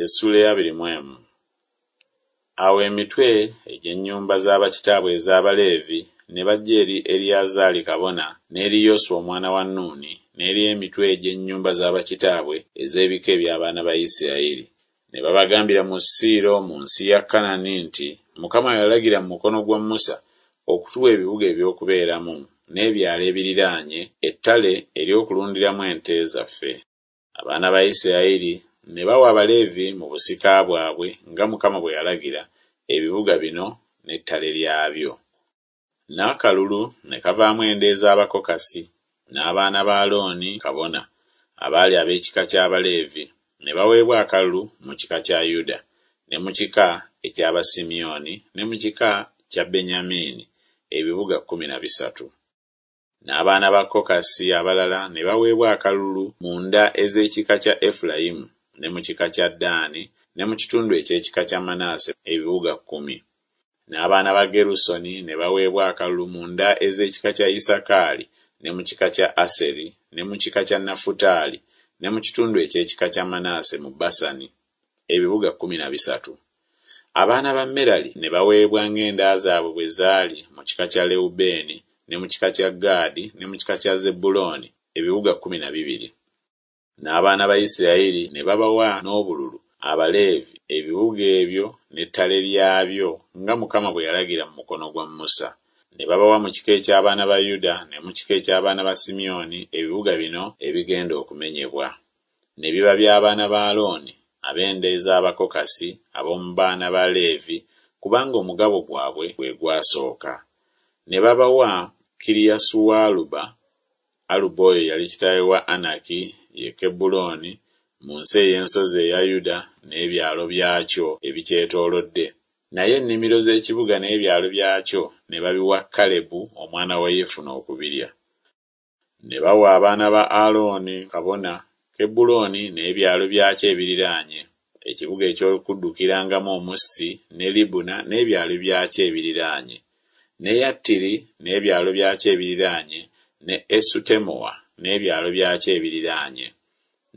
Essuula ey'abiri mu emu. Awo emitwe egy'ennyumba za bakitaabwe ez'Abaleevi ne bajja eri Eriyazaali kabona n'eri Yoswa omwana wa Nuuni n'eri emitwe egy'ennyumba za bakitaabwe ez'ebika eby'abaana ba Isirayiri, ne babagambira mu Siiro mu nsi ya Kanani nti Mukama yalagira mu mukono gwa Musa okutuwa ebibuga eby'okubeeramu n'ebyalo ebiriraanye ettale ery'okulundiramu ente zaffe. Abaana ba Isirayiri ne bawa Abaleevi mu busika bwabwe nga Mukama bwe yalagira, ebibuga bino n'ettale lyabyo. N'akalulu ne kavaamu enda ez'Abakokasi, n'abaana ba Alooni kabona, abaali ab'ekika ky'Abaleevi, ne baweebwa akalulu mu kika kya Yuda, ne mu kika eky'Abasimyoni, ne mu kika kya Benyamini, ebibuga 13. N'abaana ba Kokasi abalala ne baweebwa akalulu mu nda ez'ekika kya Efulayimu, ne mu kika kya Ddaani, ne mu kitundu eky'ekika kya Manase ebibuga kkumi. N'abaana ba Gerusoni ne baweebwa akalulu mu nda ez'ekika kya Isakaali, ne mu kika kya Aseri, ne mu kika kya Nafutaali, ne mu kitundu eky'ekika kya Manase mu Basani, ebibuga 13. Abaana ba Merali ne baweebwa ng'enda zaabwe bwe zaali mu kika kya Lewubeeni, ne mu kika kya Gaadi, ne mu kika kya Zebbulooni, ebibuga 12. N'abaana ba Isirayiri ne babawa n'obululu Abaleevi ebibuga ebyo n'ettale lyabyo nga Mukama bwe yalagira mu mukono gwa Musa. Ne babawa mu kika eky'abaana ba Yuda ne mu kika eky'abaana ba Simyoni ebibuga bino ebigenda okumenyebwa. Ne biba by'abaana ba Alooni ab'enda ez'Abakokasi ab'omu baana ba Leevi, kubanga omugabo gwabwe gwe gwasooka. Ne babawa Kiriasualuba, Aluba oyo yali kitaawe wa Anaki, ye Kebbulooni, mu nsi ey'ensozi eya Yuda n'ebyalo byakyo ebikyetoolodde. Naye ennimiro z'ekibuga n'ebyalo byakyo ne babiwa Kalebu omwana wa Yefune okubirya. Ne bawa abaana ba Alooni kabona Kebbulooni n'ebyalo byakyo ebiriraanye, ekibuga eky'okuddukirangamu omussi, ne Libuna n'ebyalo byakyo ebiriraanye, ne Yattiri n'ebyalo byakyo ebiriraanye, ne Esutemoa n'ebyalo byakyo ebiriraanye,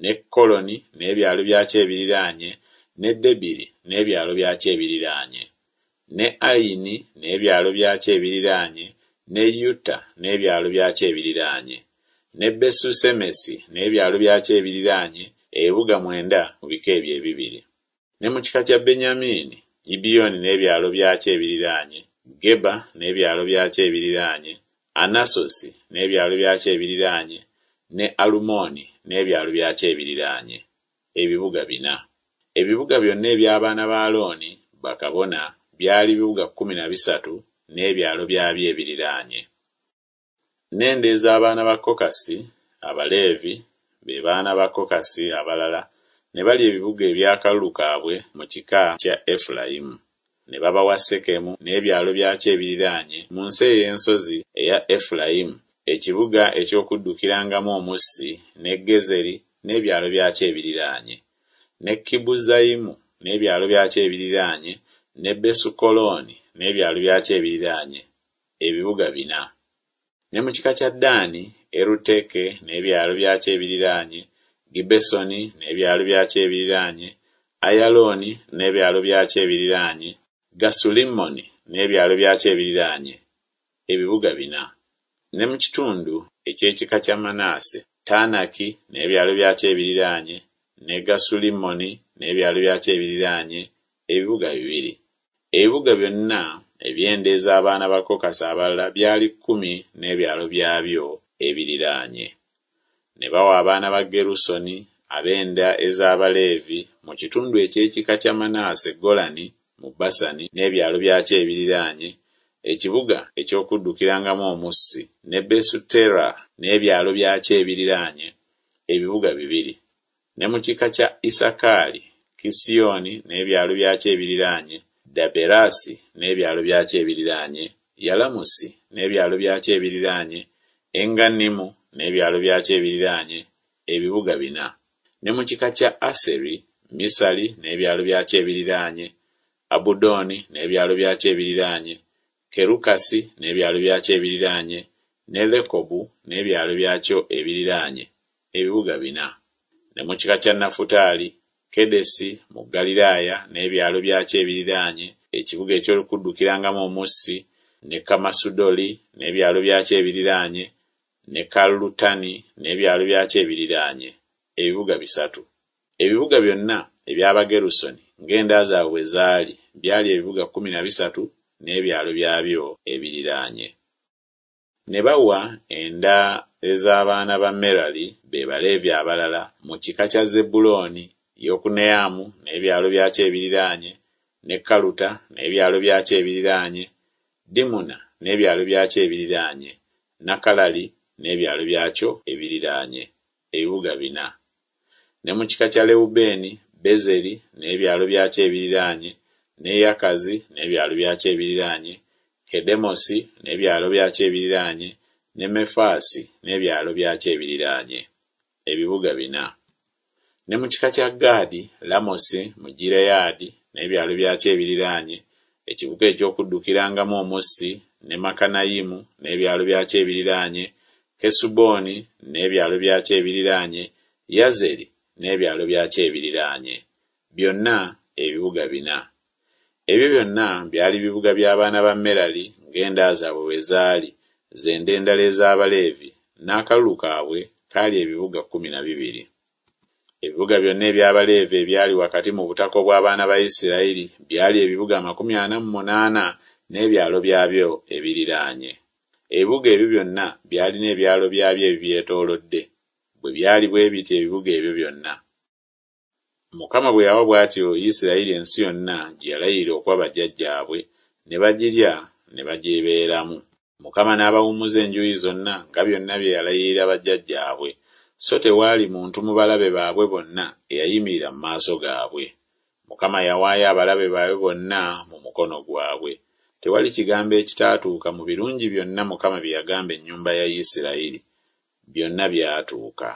ne Koloni n'ebyalo byakyo ebiriraanye, ne Debiri n'ebyalo byakyo ebiriraanye, ne Ayini n'ebyalo byakyo ebiriraanye, ne Yutta n'ebyalo byakyo ebiriraanye, ne Besusemesi n'ebyalo byakyo ebiriraanye, ebibuga mwenda mu bika ebyo ebibiri. Ne mu kika kya Benyamini, Gibyoni n'ebyalo byakyo ebiriraanye, Geba n'ebyalo byakyo ebiriraanye, Anasosi n'ebyalo byakyo ebiriraanye, ne Alumoni n'ebyalo byakyo ebiriraanye, ebibuga bina. Ebibuga byonna eby'abaana ba Alooni bakabona byali bibuga 13 n'ebyalo byabyo ebiriraanye. N'enda ez'abaana ba Kokasi Abaleevi, be baana ba Kokasi abalala, ne balya ebibuga eby'akalulu kaabwe mu kika kya Efulayimu. Ne babawa Sekemu n'ebyalo byakyo ebiriraanye mu nsi ey'ensozi eya Efulayimu, ekibuga eky'okuddukirangamu omussi, ne Gezeri n'ebyalo byakyo ebiriraanye, ne Kibuzayimu n'ebyalo byakyo ebiriraanye, ne Besukolooni n'ebyalo byakyo ebiriraanye, ebibuga bina. Ne mu kika kya Ddaani, Eruteke n'ebyalo byakyo ebiriraanye, Gibbesoni n'ebyalo byakyo ebiriraanye, Ayalooni n'ebyalo byakyo ebiriraanye, Gasulimmoni n'ebyalo byakyo ebiriraanye, ebibuga bina. Ne mu kitundu eky'ekika kya Manase, Taanaki n'ebyalo byakyo ebiriraanye, ne Gasulimmoni n'ebyalo byakyo ebiriraanye, ebibuga bibiri. Ebibuga byonna eby'enda ez'abaana ba Kokasi abalala byali kkumi n'ebyalo byabyo ebiriraanye. Ne bawa abaana ba Gerusoni ab'enda ez'Abaleevi mu kitundu eky'ekika kya Manase Golani mu Basani n'ebyalo byakyo ebiriraanye, ekibuga eky'okuddukirangamu omussi, ne Besutera n'ebyalo byakyo ebiriraanye, ebibuga bibiri. Ne mu kika kya Isakaali, Kisioni n'ebyalo byakyo ebiriraanye, Daberasi n'ebyalo byakyo ebiriraanye, Yalamusi n'ebyalo byakyo ebiriraanye, Engannimu n'ebyalo byakyo ebiriraanye, ebibuga bina. Ne mu kika kya Aseri, Misali n'ebyalo byakyo ebiriraanye, Abudoni n'ebyalo byakyo ebiriraanye, Kerukasi n'ebyalo byakyo ebiriraanye, ne Lekobu n'ebyalo byakyo ebiriraanye, ebibuga bina. Ne mu kika kya Nafutaali, Kedesi mu Ggaliraaya n'ebyalo byakyo ebiriraanye, ekibuga eky'okuddukirangamu omussi, ne Kammasudoli n'ebyalo byakyo ebiriraanye, ne Kalutani n'ebyalo byakyo ebiriraanye, ebibuga bisatu. Ebibuga byonna eby'Abagerusoni ng'enda zaabwe bwe zaali byali ebibuga 13 n'ebyalo byabyo ebiriraanye. Ne bawa enda ez'abaana ba Merali, be Baleevi abalala, mu kika kya Zebbulooni, Yokuneamu n'ebyalo byakyo ebiriraanye, ne Kaluta n'ebyalo byakyo ebiriraanye, Dimuna n'ebyalo byakyo ebiriraanye, Nakalali n'ebyalo byakyo ebiriraanye, ebibuga bina. Ne mu kika kya Lewubeeni, Bezeri n'ebyalo byakyo ebiriraanye, ne Yakazi n'ebyalo byakyo ebiriraanye, Kedemosi n'ebyalo byakyo ebiriraanye, ne Mefaasi n'ebyalo byakyo ebiriraanye, ebibuga bina. Ne mu kika kya Gaadi, Lamosi mu Gireyaadi n'ebyalo byakyo ebiriraanye, ekibuga eky'okuddukirangamu omussi, ne Makanayimu n'ebyalo byakyo ebiriraanye, Kesuboni n'ebyalo byakyo ebiriraanye, Yazeri n'ebyalo byakyo ebiriraanye, byonna ebibuga bina. Ebyo byonna byali bibuga by'abaana ba Merali ng'enda zaabwe bwe zaali, ze nda endala ez'Abaleevi, n'akalulu kaabwe kaali ebibuga 12. Ebibuga byonna eby'Abaleevi ebyali wakati mu butaka obw'abaana ba Isirayiri byali ebibuga 48 n'ebyalo byabyo ebiriraanye. Ebibuga ebyo byonna byalina ebyalo byabyo ebibyetoolodde. Bwe byali bwe bityo ebibuga ebyo byonna. Mukama bwe yawa bw'atyo Isirayiri ensi yonna gye yalayirira okuwa bajjajjaabwe, ne bagirya ne bagibeeramu. Mukama n'abawummuza enjuuyi zonna nga byonna bye yalayirira bajjajjaabwe, so tewaali muntu mu balabe baabwe bonna eyayimirira mu maaso gaabwe. Mukama yawaayo abalabe baabwe bonna mu mukono gwabwe. Tewali kigambo ekitaatuuka mu birungi byonna Mukama bye yagamba ennyumba ya Isirayiri, byonna byatuuka.